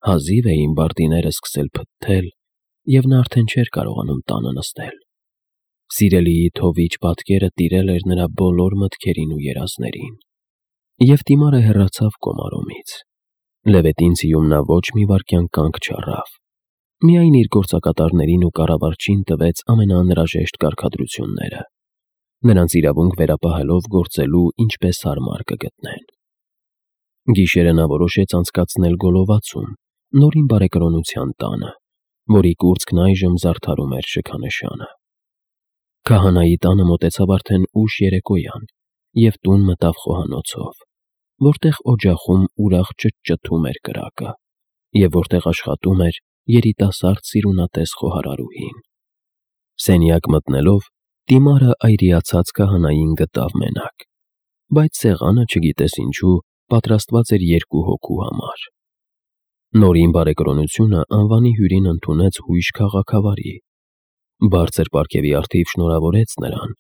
Հազիվ էին բարտիները սկսել փթթել, և նա արդեն չէր կարողանում տանը նստել։ Սիրելիի թովիչ պատկերը տիրել էր նրա բոլոր մտքերին ու երազներին։ Եվ Տիմարը հեռացավ Կոմարոմից։ Լևետին ցիում նա ոչ մի վայրկյան կանգ չառավ։ Միայն իր գործակատարներին ու կառավարչին տվեց ամենաանհրաժեշտ կարգադրությունները, նրանց իրավունք վերապահելով գործելու ինչպես հարմար կգտնեն։ Գիշերը նա որոշեց անցկացնել Գոլովացում, նորին բարեկրոնության տանը, որի կուրծքն այժմ զարդարում էր շքանշանը։ Քահանայի տանը մոտեցավ արդեն ուշ երեկոյան, և տուն մտավ խոհանոցով, որտեղ օջախում ուրախ ճտճտում էր կրակը, և որտեղ աշխատում էր երիտասարդ սիրունատես խոհարարուհին։ Սենյակ մտնելով, Տիմարը այրիացած քահանային գտավ մենակ, բայց սեղանը, չգիտես ինչու, պատրաստված էր երկու հոգու համար։ Նորին բարեկրոնությունը անվանի հյուրին ընդունեց հույժ քաղաքավարի։ Բարձր պարգևի առթիվ շնորհավորեց նրան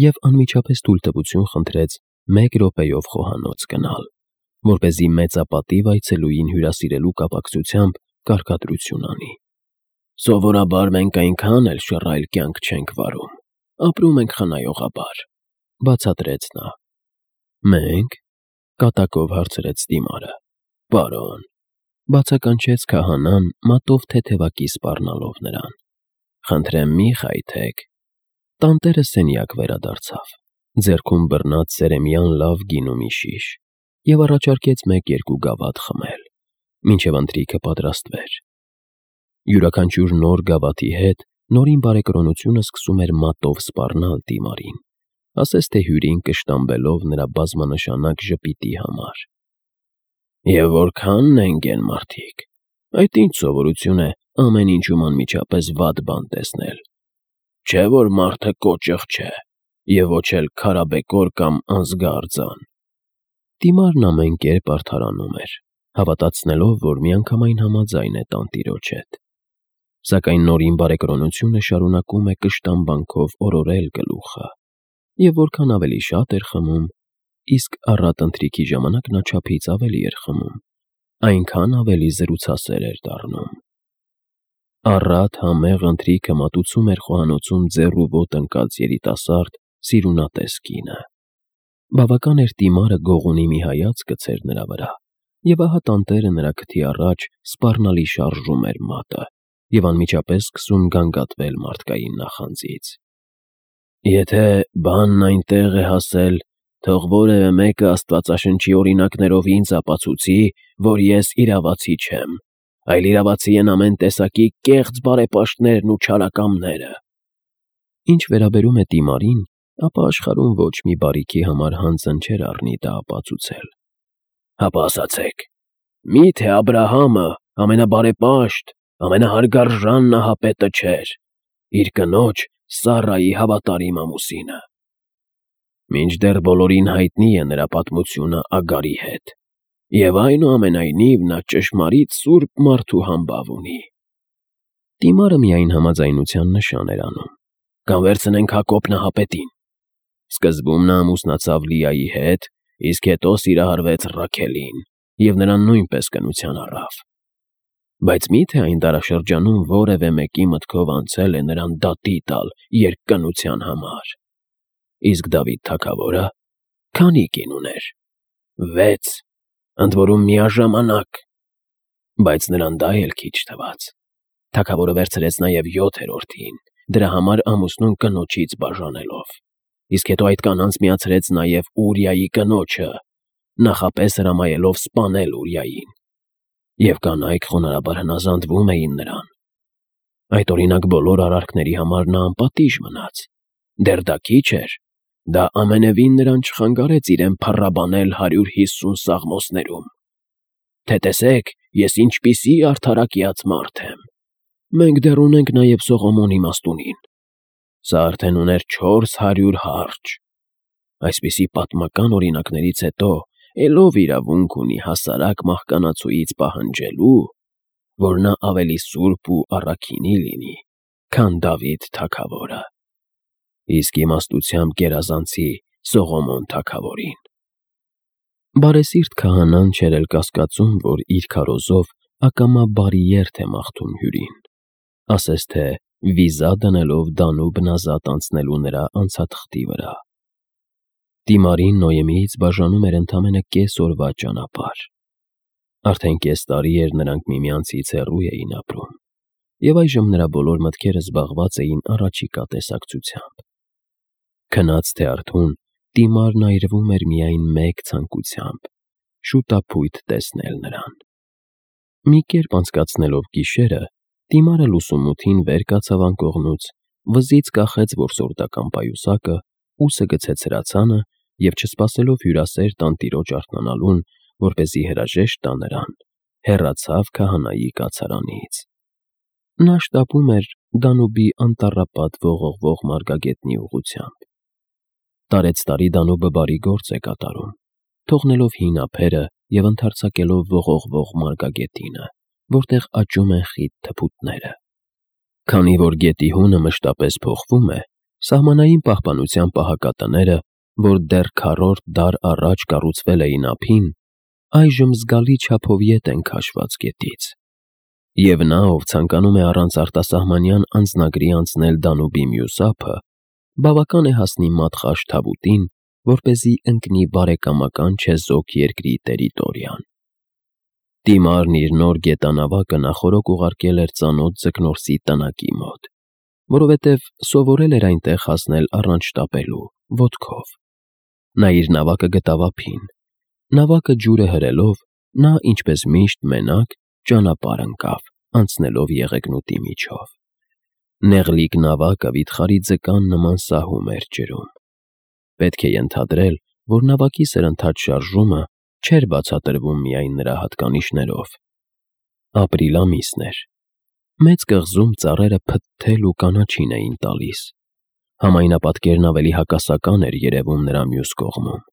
և անմիջապես թույլտվություն խնդրեց 1 րոպեով խոհանոց գնալ, որպեսզի մեծապատիվ այցելուին հյուրասիրելու կապակցությամբ կարգադրություն անի։ «Սովորաբար մենք այնքան էլ շռայլ կյանք չենք վարում, ապրում ենք խնայողաբար», բացատրեց նա։ «Մենք», կատակով հարցրեց Տիմարը։ «Պարոն», բացականչեց քահանան, մատով թեթևակի սպառնալով նրան։ «Խնդրեմ մի խայթեք»։ Տանտերը սենյակ վերադարձավ, ձեռքում բռնած սերեմյան լավ գինու մի շիշ, և առաջարկեց 1-2 գավաթ խմել, մինչև ընթրիքը պատրաստվեր։ Յուրաքանչյուր նոր գավաթի հետ նորին բարեկրոնությունը սկսում էր մատով սպառնալ Տիմարին, ասես թե հյուրին կշտամբելով նրա բազմանշանակ ժպիտի համար։ «Եվ որքա՞նն են գեն մարդիկ, այդ ինչ սովորություն է ամեն ինչում անմիջապես վատ բան տեսնել։ Չէ՞ որ մարդը կոճղ չէ, և ոչ էլ քարաբեկոր կամ անզգա արձան»։ Տիմարն ամեն կերպ արդարանում էր, հավատացնելով, որ միանգամայն համաձայն է տանտիրոջ հետ։ Սակայն նորին բարեկրոնությունը շարունակում է կշտամբանքով օրորել գլուխը, և որքան ավելի շատ էր խմում, իսկ առատ ընթրիքի ժամանակ նա չափից ավելի էր խմում, այնքան ավելի զրուցասեր էր դառնում։ Առատ համեղ ընթրիքը մատուցում էր խոհանոցում ձեռ ու ոտ ընկած երիտասարդ, սիրունատես կինը։ Բավական էր Տիմարը գողունի մի հայացք գցեր նրա վրա, և ահա տանտերը նրա քթի առաջ սպառնալի շարժում էր մատը և անմիջապես սկսում գանգատվել մարդկային նախանձից։ «Եթե բանն այնտեղ է հասել, թող որևէ մեկը աստվածաշնչի օրինակներով ինձ ապացուցի, որ ես իրավացի չեմ, այլ իրավացի են ամեն տեսակի կեղծ բարեպաշտներն ու չարակամները»։ Ինչ վերաբերում է Տիմարին, ապա աշխարհում ոչ մի բարիքի համար հանձն չէր առնի դա ապացուցել։ «Հապա ասացեք, մի՞թե Աբրահամը, ամենաբարեպաշտ, ամենահարգարժան նահապետը չէր, իր կնոջ՝ Սառայի հավատարիմ ամուսինը։ Մինչդեռ բոլորին հայտնի է նրա պատմությունը Ագարի հետ, և այնուամենայնիվ նա ճշմարիտ սուրբ մարդու համբավ ունի»։ Տիմարը միայն համաձայնության նշան էր անում։ «Կամ վերցնենք Հակոբ նահապետին. սկզբում նա ամուսնացավ Լիայի հետ, իսկ հետո սիրահարվեց Ռաքելին և նրան նույնպես կնության առավ։ Բայց մի՞թե այն դարաշրջանում որևէ մեկի մտքով անցել է նրան դատի տալ երկկնության համար։ Իսկ Դավիթ թագավորը քանի՞ կին ուներ։ 6, ընդ որում միաժամանակ։ Բայց նրան դա էլ քիչ թվաց. թագավորը վերցրեց նաև 7-րդին, դրա համար ամուսնուն կնոջից բաժանելով, իսկ հետո այդ կանանց միացրեց նաև Ուրիայի կնոջը, նախապես հրամայելով սպանել Ուրիային։ Եվ կանայք խոնարհաբար հնազանդվում էին նրան։ Այդ օրինակ բոլոր արարքների համար նա անպատիժ մնաց։ Դեռ դա քիչ էր, դա ամենևին նրան չխանգարեց իրեն փառաբանել 150 սաղմոսներում. «Թե տեսեք, ես ինչպիսի արդարակյաց մարդ եմ»։ Մենք դեռ ունենք նաև Սողոմոնի մաստունին. սա արդեն ուներ 400 հարճ։ Այսպիսի պատմական օրինակներից հետո էլ ով իրավունք ունի հասարակ մահկանացուից պահանջելու, որ նա ավելի սուրբ ու առաքինի լինի, քան Դավիթ թագավորը, իսկ իմաստությամբ գերազանցի Սողոմոն թագավորին։ Բարեսիրտ քահանան չէր էլ կասկածում, որ իր քարոզով ակամա բարի երթ է մաղթում հյուրին, ասես թե վիզա դնելով Դանուբ նազատ անցնելու նրա անցաթղթի վրա։ Դիմարին Նոյեմիից բաժանում էր ընդամենը կես օրվա ճանապարհ։ Արդեն կես տարի էր նրանք միմյանցից հեռու էին ապրում, և այժմ նրա բոլոր մտքերը զբաղված էին առաջիկա տեսակցությամբ։ Քնած թե արթուն, Դիմարն այրվում էր միայն մեկ ցանկությամբ՝ շուտափույթ տեսնել նրան։ Մի կերպ անցկացնելով գիշերը, Դիմարը լուսումութին վեր կացավ անկողնուց, վզից կախեց որսորդական պայուսակը, ուսը գցեց հրացանը և, չսպասելով հյուրասեր տանտիրոջ արթնանալուն, որպեսզի հրաժեշտ տա նրան, հեռացավ քահանայի կացարանից։ Նա շտապում էր Դանուբի անտառապատ ողողվող մարգագետնի ուղղությամբ։ Տարեցտարի Դանուբը բարի գործ է կատարում, թողնելով հին ափերը և ընդարձակելով ողողվող մարգագետինը, որտեղ աճում են խիտ թփուտները։ Քանի որ գետի հունը մշտապես փոխվում է, սահմանային պահպանության պահակատները, որ դեռ քառորդ դար առաջ կառուցվել էին ափին, այժմ զգալի չափով ետ են քաշված գետից։ Եվ նա, ով ցանկանում է առանց արտասահմանյան անձնագրի անցնել Դանուբի մյուս ափը, բավական է հասնի մատխաշ թավուտին, որպեսզի ընկնի բարեկամական չեզոք երկրի տերիտորիան։ Դիմարն իր նոր գետանավակը նախօրոք ուղարկել էր ծանոթ ձկնորսի տնակի մոտ, որովհետև սովորել էր այնտեղ հասնել առանց շտապելու, ոտքով։ Նա իր նավակը գտավ ափին։ Նավակը ջուրը հրելով, նա, ինչպես միշտ, մենակ ճանապարհ ընկավ, անցնելով եղեգնուտի միջով։ Նեղլիկ նավակը վիթխարի ձկան նման սահում էր ջրում։ Պետք է ենթադրել, որ նավակի սրընթաց շարժումը չէր բացատրվում միայն նրա հատկանիշներով։ Ապրիլ ամիսն էր։ Մեծ կղզում ծառերը փթթել ու կանաչին էին տալիս։ Համայնապատկերն ավելի հակասական էր երևում նրա մյուս կողմում։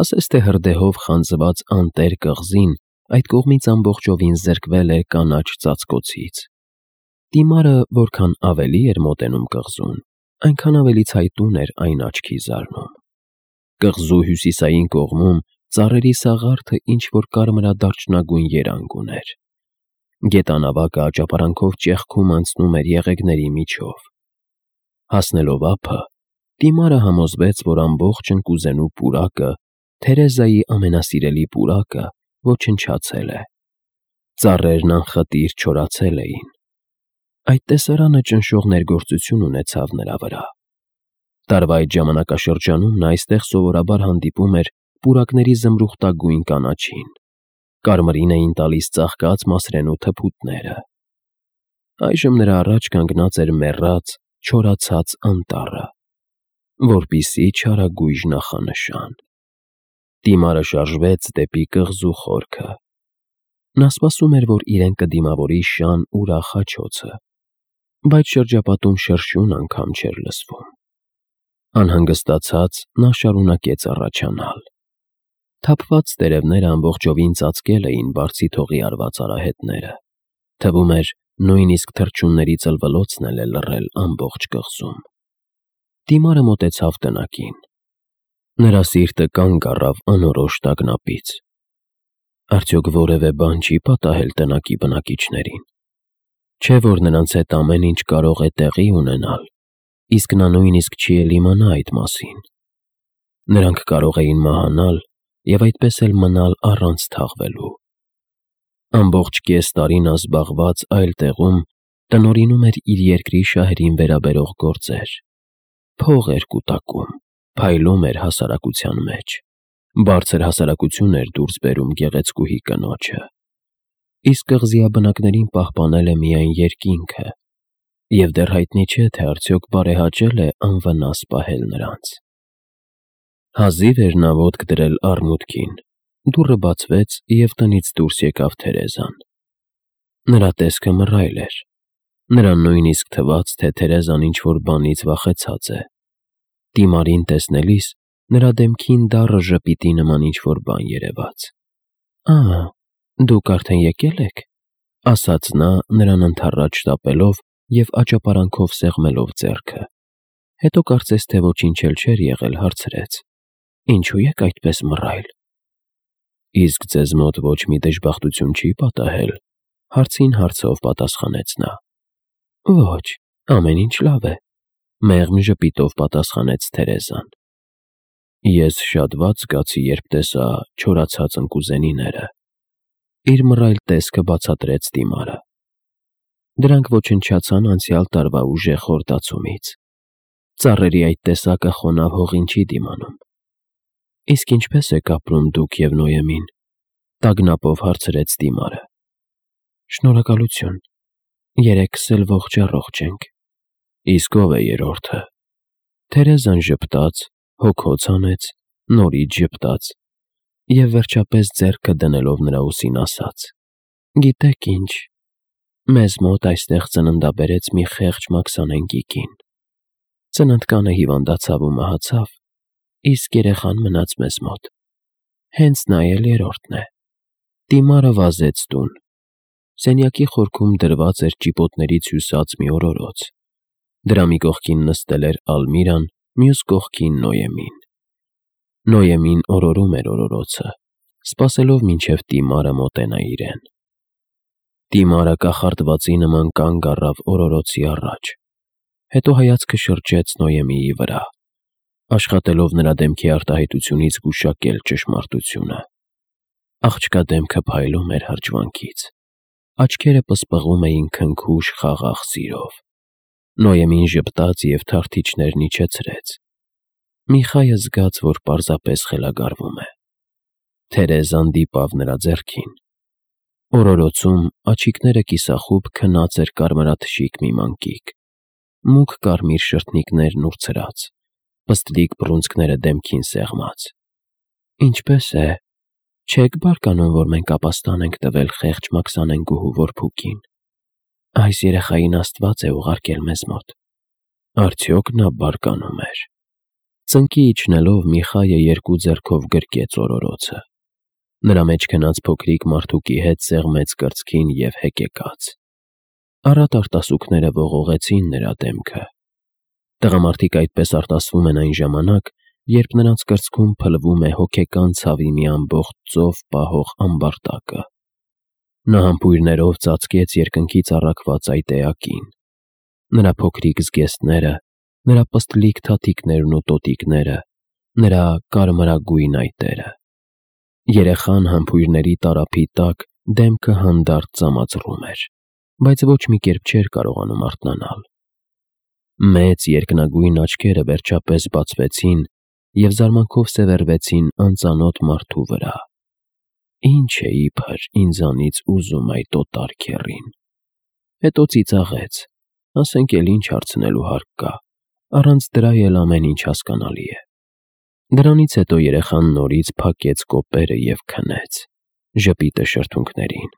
Ասես թե հրդեհով խանձված անտեր կղզին այդ կողմից ամբողջովին զրկվել էր կանաչ ծածկոցից։ Դիմարը որքան ավելի էր մոտենում կղզուն, այնքան ավելի ցայտուն էր այն աչքի զարնում։ Կղզու հյուսիսային կողմում ծառերի սաղարթը ինչ-որ կարմրադարչնագույն երանգ ուներ։ Գետանավակը աճապարանքով ճեղքում անցնում էր եղեգների միջով։ Հասնելով ափը, Դիմարը համոզվեց, որ ամբողջ ընկուզենու պուրակը, Թերեզայի ամենասիրելի պուրակը, ոչնչացել է։ Ծառերն անխտիր չորացել էին։ Այդ տեսարանը ճնշող ներգործություն ունեցավ նրա վրա։ Տարվա այդ ժամանակաշրջանում նա այստեղ սովորաբար հանդիպում էր պուրակների զմրուխտագույն կանաչին։ Կարմրին էին տալիս ծաղկած մասրենու թփուտները։ Այժմ նրա առաջ կանգնած էր մեռած, չորացած անտառը, որպիսի չարագույժ նախանշան։ Դիմարը շարժվեց դեպի կղզու խորքը։ Նա սպասում էր, որ իրեն կդիմավորի շան ուրախ հաչոցը, բայց շրջապատում շրշյուն անգամ չէր լսվում։ Անհանգստացած նա շարունակեց առաջանալ։ Թափված տերևները ամբողջովին ծածկել էին բարձի թողի արված արահետները։ Թվում էր, նույնիսկ թռչունների ծլվլոցն էլ է լռել ամբողջ կղզում։ Դիմարը մոտեցավ տնակին։ Նրա սիրտը կանգ առավ անորոշ տագնապից։ Արդյոք որևէ բան չի պատահել տնակի բնակիչներին։ Չէ՞ որ նրանց հետ ամեն ինչ կարող է տեղի ունենալ, իսկ նա նույնիսկ չի էլ իմանա այդ մասին։ Նրանք կարող էին մահանալ և այդպես էլ մնալ առանց թաղվելու։ Ամբողջ կես տարի նա զբաղված այլ տեղում տնօրինում էր իր երկրի շահերին վերաբերող գործեր։ Փող էր կուտակում, փայլում էր հասարակության մեջ, բարձր հասարակություն էր դուրս բերում գեղեցկուհի կնոջը։ Իսկ կղզիաբնակներին պահպանել է միայն երկինքը, և դեռ հայտնի չէ, թե արդյոք բարեհաճել է անվնաս պահել նրանց։ Հազիվ էր նա ոտք դրել առմուտքին, դուռը բացվեց, և տնից դուրս եկավ Թերեզան։ Նրա տեսքը մռայլ էր։ Նրան նույնիսկ թվաց, թե Թերեզան ինչ-որ բանից վախեցած է։ Դիմարին տեսնելիս նրա դեմքին դառը ժպիտի նման ինչ-որ բան երևաց։ Դուք արդեն եկել եք, ասաց նա նրան ընդառաջ շտապելով և աճապարանքով սեղմելով ձեռքը։ Հետո կարծես թե ոչինչ էլ չէր եղել, հարցրեց. Ինչու եք այդպես մռայլ։ Իսկ ձեզ մոտ ոչ մի դժբախտություն չի պատահել, Հարցին հարցով պատասխանեց նա։ Ոչ, ամեն ինչ լավ է, մեղմ ժպիտով պատասխանեց Թերեզան։ Ես շատ վատ զգացի, երբ տեսա չորացած ընկուզենիները, իր մռայլ տեսքը բացատրեց Դիմարը։ Դրանք ոչնչացան անցյալ տարվա ուժեղ խորտացումից։ Ծառերի այդ տեսակը խոնավ հողին չի դիմանում։ Իսկ ինչպես եք ապրում դուք և Նոյեմին, տագնապով հարցրեց Դիմարը։ Շնորհակալություն, երեքս էլ ողջ ենք։ Իսկ ով է երրորդը։ Թերեզան ժպտաց, հոգոց հանեց, նորից ժպտաց և վերջապես ձեռքը դնելով նրա ուսին ասաց. Գիտեք ինչ, մեզ մոտ այստեղ ծննդաբերեց մի խեղճ մաքսանենգի կին։ Ծննդկանը հիվանդացավ ու մահացավ, իսկ երեխան մնաց մեզ մոտ։ Հենց նա էլ երրորդն է։ Դիմարը վազեց տուն։ Սենյակի խորքում դրված էր ճիպոտներից հյուսած մի օրորոց։ Դրա մի կողքին նստել էր Ալմիրան, մյուս կողքին Նոյեմին։ Նոյեմին օրորում էր օրորոցը, սպասելով մինչև Դիմարը մոտենա իրեն։ Դիմարը կախարդվածի նման կանգ առավ օրորոցի առաջ, հետո հայացքը շրջեց Նոյեմիի վրա, աշխատելով նրա դեմքի արտահայտությունից գուշակել ճշմարտությունը։ Աղջկա դեմքը փայլում էր հրճվանքից, աչքերը պսպղում էին քնքուշ խաղաղ սիրով։ Նոյեմին ժպտաց և թարթիչներն իջեցրեց։ Միխայը զգաց, որ պարզապես խելագարվում է։ Թերեզան դիպավ նրա ձեռքին։ Օրորոցում աչիկները կիսախուբ քնած էր կարմրաթշիկ մի մանկիկ, մուգ կարմիր շրթնիկներն ուրցրած, պստլիկ բռունցքները դեմքին սեղմած։ Ինչպե՞ս է, չեք բարկանում, որ մենք ապաստան ենք տվել խեղճ մաքսանենգուհու որբուքին։ Այս երեխային Աստված է ուղարկել մեզ մոտ։ Արդյոք նա բարկանում էր։ Ծնկի իջնելով Միխայը երկու ձեռքով գրկեց օրորոցը։ Նրա մեջ քնած փոքրիկ մարդուկի հետ սեղմեց կրծքին և հեկեկաց։ Առատ արտասուքները ողողեցին նրա դեմքը։ Տղամարդիկ այդպես արտասվում են այն ժամանակ, երբ նրանց կրծքում փլվում է հոգեկան ցավի մի ամբողջ ծով պահող ամբարտակը։ Նա համբույրներով ծածկեց երկնքից առաքված այդ էակին։ Նրա փոքրիկ զգեստները, նրա պստլիկ թաթիկներն ու տոտիկները, նրա կարմրագույն այտերը։ Երեխան համբույրների տարափի տակ դեմքը հանդարտ ծամածռում էր, բայց ոչ մի կերպ չէր կարողանում արթնանալ։ Մեծ երկնագույն աչքերը վերջապես բացվեցին և զարմանքով սևեռվեցին անծանոթ մարդու վրա։ Ինչ է իբր ինձանից ուզում այդ օտար քեռին։ Հետո ծիծաղեց, ասենք էլ ինչ հարցնելու հարկ կա, առանց դրա էլ ամեն ինչ հասկանալի է։ Դրանից հետո երեխան նորից փակեց կոպերը և քնեց, ժպիտը շրթունքներին,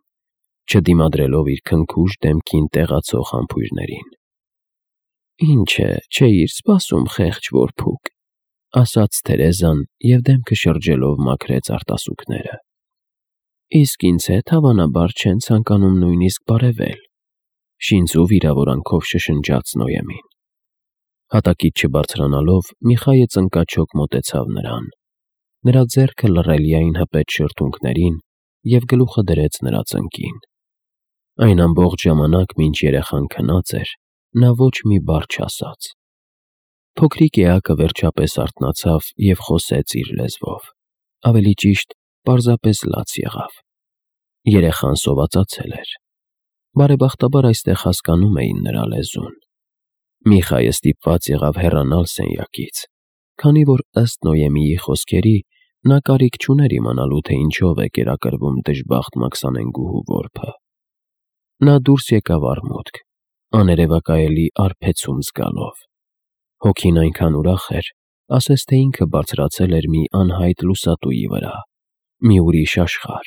չդիմադրելով իր քնքուշ դեմքին տեղացող համբույրներին։ Ինչ է, չէիր սպասում, խեղճ որբուք, ասաց Թերեզան և դեմքը շրջելով մաքրեց արտասուքները։ Իսկ ինձ հետ հավանաբար չեն ցանկանում նույնիսկ բարևել, շինծու վիրավորանքով շշնջաց Նոյեմին։ Հատակից չբարձրանալով Միխայը ծնկաչոք մոտեցավ նրան։ Նրա ձեռքը լռելիային հպեց շրթունքներին և գլուխը դրեց նրա ծնկին։ Այն ամբողջ ժամանակ, մինչ երեխան քնած էր, նա ոչ մի բառ չասաց։ Փոքրիկ էակը վերջապես արթնացավ և խոսեց իր լեզվով, ավելի ճիշտ, պարզապես լաց եղավ։ Երեխան սովածացել էր։ Բարեբախտաբար այստեղ հասկանում էին նրա լեզուն։ Միխայը ստիպված եղավ հեռանալ սենյակից, քանի որ ըստ Նոյեմիի խոսքերի նա կարիք չուներ իմանալու, թե ինչով է կերակրվում դժբախտ մաքսանենգուհու որբը։ Նա դուրս եկավ արմուտք, աներևակայելի արբեցում զգալով։ Հոգին այնքան ուրախ էր, ասես թե ինքը բարձրացել էր մի անհայտ լուսատուի վրա, մի ուրիշ աշխարհ,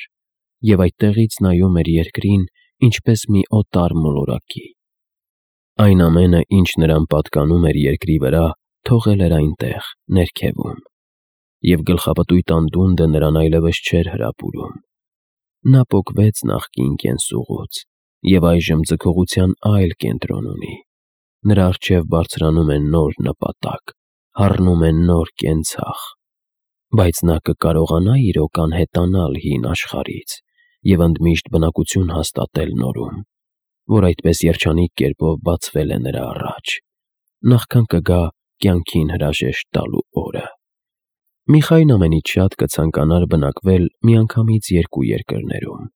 և այդտեղից նայում էր երկրին, ինչպես մի օտար մոլորակի։ Այն ամենը, ինչ նրան պատկանում էր երկրի վրա, թողել էր այնտեղ, ներքևում, և գլխապտույտ անդունդը նրան այլևս չէր հրապուրում։ Նա պոկվեց նախկին կենսուղուց և այժմ ձգողության այլ կենտրոն ունի։ Նրա առջև բարձրանում է նոր նպատակ, հառնում է նոր կենցաղ։ Բայց նա կկարողանա՞ իրոք անհետանալ հին աշխարհից և ընդմիշտ բնակություն հաստատել նորում, որ այդպես երջանիկ կերպով բացվել է նրա առաջ, նախքան կգա կյանքին հրաժեշտ տալու օրը։ Միխային ամենից շատ կցանկանար բնակվել միանգամից երկու երկրներում՝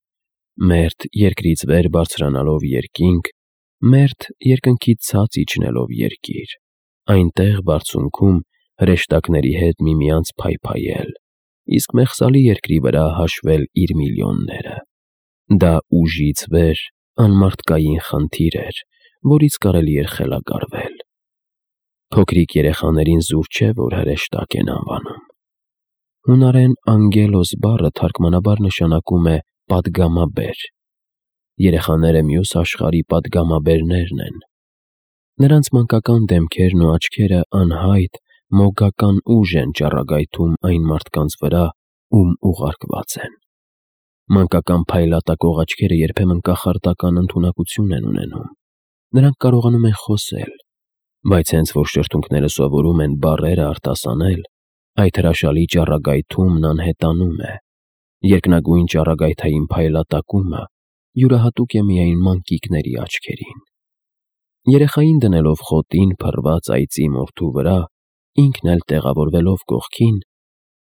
մերթ երկրից վեր բարձրանալով երկինք, մերթ երկնքից ցած իջնելով երկիր, այնտեղ բարձունքում հրեշտակների հետ միմյանց փայփայել, իսկ մեղսալի երկրի վրա հաշվել իր միլիոնները։ Դա ուժից վեր անմարդկային խնդիր էր, որից կարելի էր խելագարվել։ Փոքրիկ երեխաներին զուր չէ, որ հրեշտակ են անվանում։ Հունարեն անգելոս բառը թարգմանաբար նշանակում է պատգամաբեր։ Երեխաները մյուս աշխարհի պատգամաբերներն են։ Նրանց մանկական դեմքերն ու աչքերը անհայտ, մոգական ուժ են ճառագայթում այն մարդկանց վրա, ում ուղարկված են։ Մանկական փայլատակող աչքերը երբեմն կախարդական ընդունակություն են ունենում։ Նրանք կարողանում են խոսել, բայց հենց որ շրթունքները սովորում են բառերը արտասանել, այդ հրաշալի ճառագայթումն անհետանում է։ Երկնագույն ճառագայթային փայլատակումը յուրահատուկ է միայն մանկիկների աչքերին։ Երեխային դնելով խոտին փռված այծի մորթու վրա, ինքն էլ տեղավորվելով կողքին,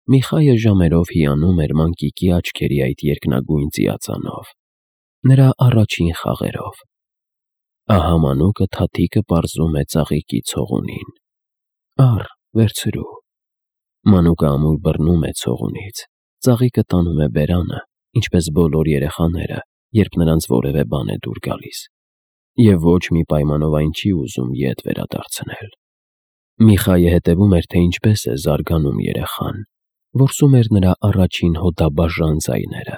Միխայը ժամերով հիանում էր մանկիկի աչքերի այդ երկնագույն ծիածանով, նրա առաջին խաղերով։ Ահա մանուկը թաթիկը պարզում է ծաղիկի ցողունին։ Առ, վերցրու։ Մանուկը ամուր բռնում է ցողունից, ծաղիկը տանում է բերանը, ինչպես բոլոր երեխաները, երբ նրանց որևէ բան է դուր գալիս, և ոչ մի պայմանով այն չի ուզում ետ վերադարձնել։ Միխայը հետևում էր, թե ինչպես է զարգանում երեխան, որսում էր նրա առաջին հոդաբաժան ձայները,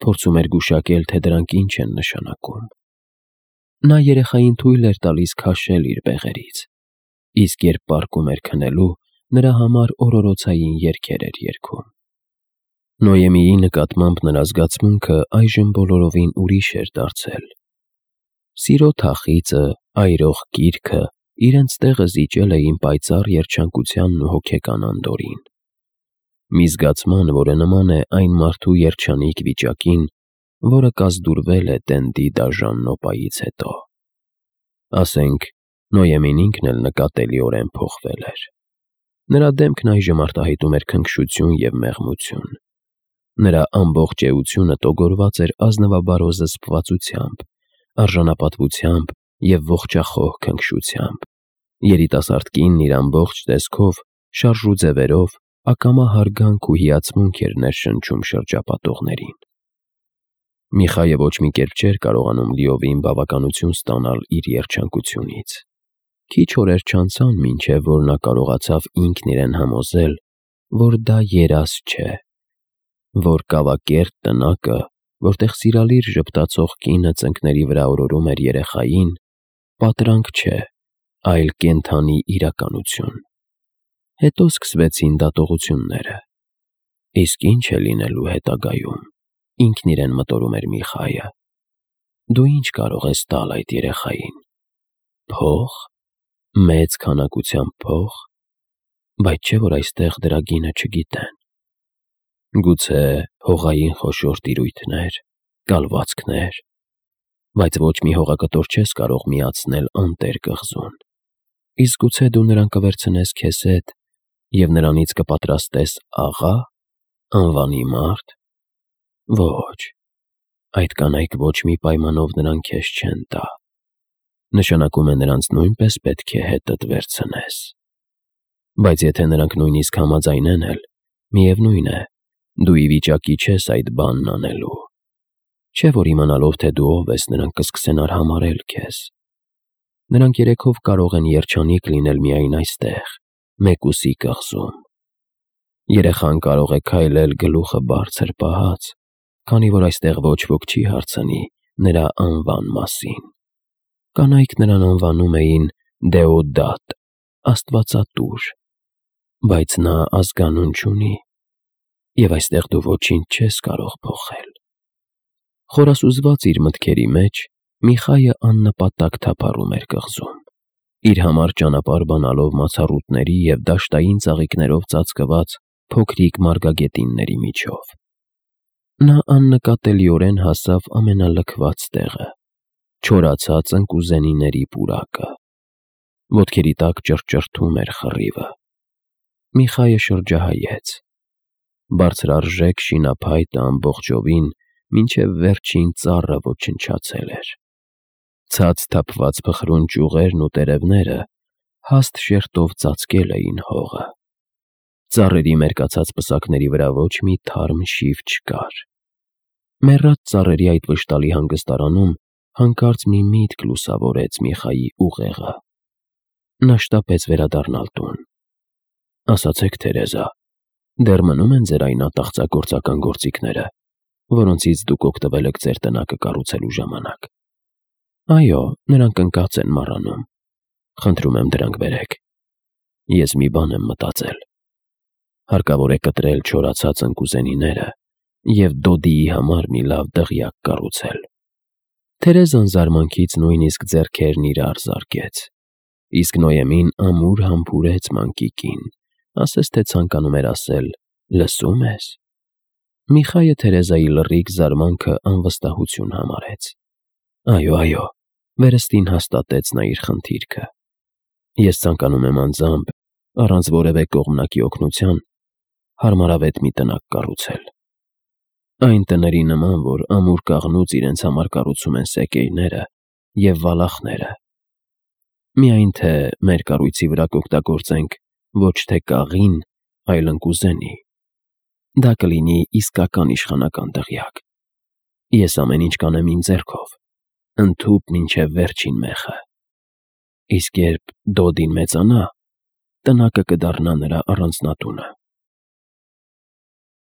փորձում էր գուշակել, թե դրանք ինչ են նշանակում։ Նա երեխային թույլ էր տալիս քաշել իր բեղերից, իսկ երբ պառկում էր քնելու, նրա համար օրորոցային երգեր էր երգում։ Նոյեմիի նկատմամբ նրա զգացմունքը այժմ բոլորովին ուրիշ էր դարձել։ Սիրո թախիծը, այրող գիրքը իրենց տեղը զիջել էին պայծառ երջանկությանն ու հոգեկան անդորրին։ Մի զգացման, որը նման է այն մարդու երջանիկ վիճակին, որը կազդուրվել է տենդի դաժան նոպայից հետո։ Ասենք, Նոյեմին ինքն էլ նկատելիորեն փոխվել էր։ Նրա դեմքն այժմ արտահայտում էր քնքշություն և մեղմություն։ Նրա ամբողջ էությունը տոգորված էր ազնվաբարո զսպվածությամբ, արժանապատվությամբ և ողջախոհ քնքշությամբ։ Երիտասարդ կինն իր ամբողջ տեսքով, շարժ ու ձևերով ակամա հարգանք ու հիացմունք էր ներշնչում շրջապատողներին։ Միխայը ոչ մի կերպ չէր կարողանում լիովին բավականություն ստանալ իր երջանկությունից։ Քիչ օրեր չանցան, մինչև որ նա կարողացավ ինքն իրեն համոզել, որ դա երազ չէ, որ կավակերտ տնակը, որտեղ սիրալիր ժպտացող կինը ծնկների վրա օրորում էր երեխային, պատրանք չէ, այլ կենդանի իրականություն։ Հետո սկսվեցին դատողությունները։ Իսկ ի՞նչ է լինելու հետագայում, ինքն իրեն մտորում էր Միխայը։ Դու ի՞նչ կարող ես տալ այդ երեխային։ Փող, մեծ քանակությամբ փող, բայց չէ՞ որ այստեղ դրա գինը չգիտեն։ Գուցե հողային խոշոր տիրույթներ, կալվածքներ, բայց ոչ մի հողակտոր չես կարող միացնել անտեր կղզուն։ Իսկ գուցե դու նրան կվերցնես քեզ հետ և նրանից կպատրաստես աղա, անվանի մարդ։ Ոչ, այդ կանայք ոչ մի պայմանով նրան քեզ չեն տա։ Նշանակում է նրանց նույնպես պետք է հետդ վերցնես։ Բայց եթե նրանք նույնիսկ համաձայնեն էլ, միևնույն է, դու ի վիճակի չես այդ բանն անելու։ Չէ՞ որ իմանալով, թե դու ով ես, նրանք կսկսեն արհամարհել քեզ։ Նրանք երեքով կարող են երջանիկ լինել միայն այստեղ, մեկուսի կղզում։ Երեխան կարող է քայլել գլուխը բարձր պահած, քանի որ այստեղ ոչ ոք չի հարցնի նրա անվան մասին։ Կանայք նրան անվանում էին Դեոդատ, աստվածատուր, բայց նա ազգանուն չունի, և այստեղ դու ոչինչ չես կարող փոխել։ Խորասուզված իր մտքերի մեջ, Միխայը աննպատակ թափառում էր կղզում, իր համար ճանապարհ բանալով մացառուտների և դաշտային ծաղիկներով ծածկված փոքրիկ մարգագետինների միջով։ Նա աննկատելիորեն հասավ ամենալքված տեղը, չորացած ընկուզենիների պուրակը։ Ոտքերի տակ ճռճռթում էր խռիվը։ Միխայը շրջահայեց։ Բարձրարժեք շինափայտը ամբողջովին մինչև վերջին ծառը ոչնչացել էր։ Ցած թափված փխրուն ճյուղերն ու տերևները հաստ շերտով ծածկել էին հողը։ Ծառերի մերկացած պսակների վրա ոչ մի թարմ շիվ չկար։ Մեռած ծառերի այդ վշտալի հանգստարանում հանկարծ մի միտք լուսավորեց Միխայի ուղեղը։ Նա շտապեց վերադառնալ տուն։ «Ասացեք, Թերեզա, դեռ մնում են ձեր այն ատաղծագործական գործիքները, որոնցից դուք օգտվել եք ձեր տնակը կառուցելու ժամանակ»։ «Այո, նրանք ընկած են մառանում»։ «Խնդրում եմ, դրանք բերեք։ Ես մի բան եմ մտածել. հարկավոր է կտրել չորացած ընկուզենիները և Դոդիի համար մի լավ դղյակ կառուցել»։ Թերեզան զարմանքից նույնիսկ ձեռքերն իրար զարկեց, իսկ Նոյեմին ամուր համբուրեց մանկիկին, ասես թե ցանկանում էր ասել. «Լսո՞ւմ ես»։ Միխայը Թերեզայի լռիկ զարմանքը անվստահություն համարեց։ «Այո», վերստին հաստատեց նա իր խնդիրքը։ «Ես ցանկանում եմ անձամբ, առանց որևէ կողմնակի օգնության, հարմարավետ մի տնակ կառուցել։ Այն տների նման, որ ամուր կաղնուց իրենց համար կառուցում են սեկեյները և վալախները։ Միայն թե մեր կառույցի վրա կօգտագործենք ոչ թե կաղին, այլ ընկուզենի։ Դա կլինի իսկական իշխանական դղյակ։ Ես ամեն ինչ կանեմ իմ ձեռքով, ընդհուպ մինչև վերջին մեխը։ Իսկ երբ Դոդին մեծանա, տնակը կդառնա նրա առանձնատունը»։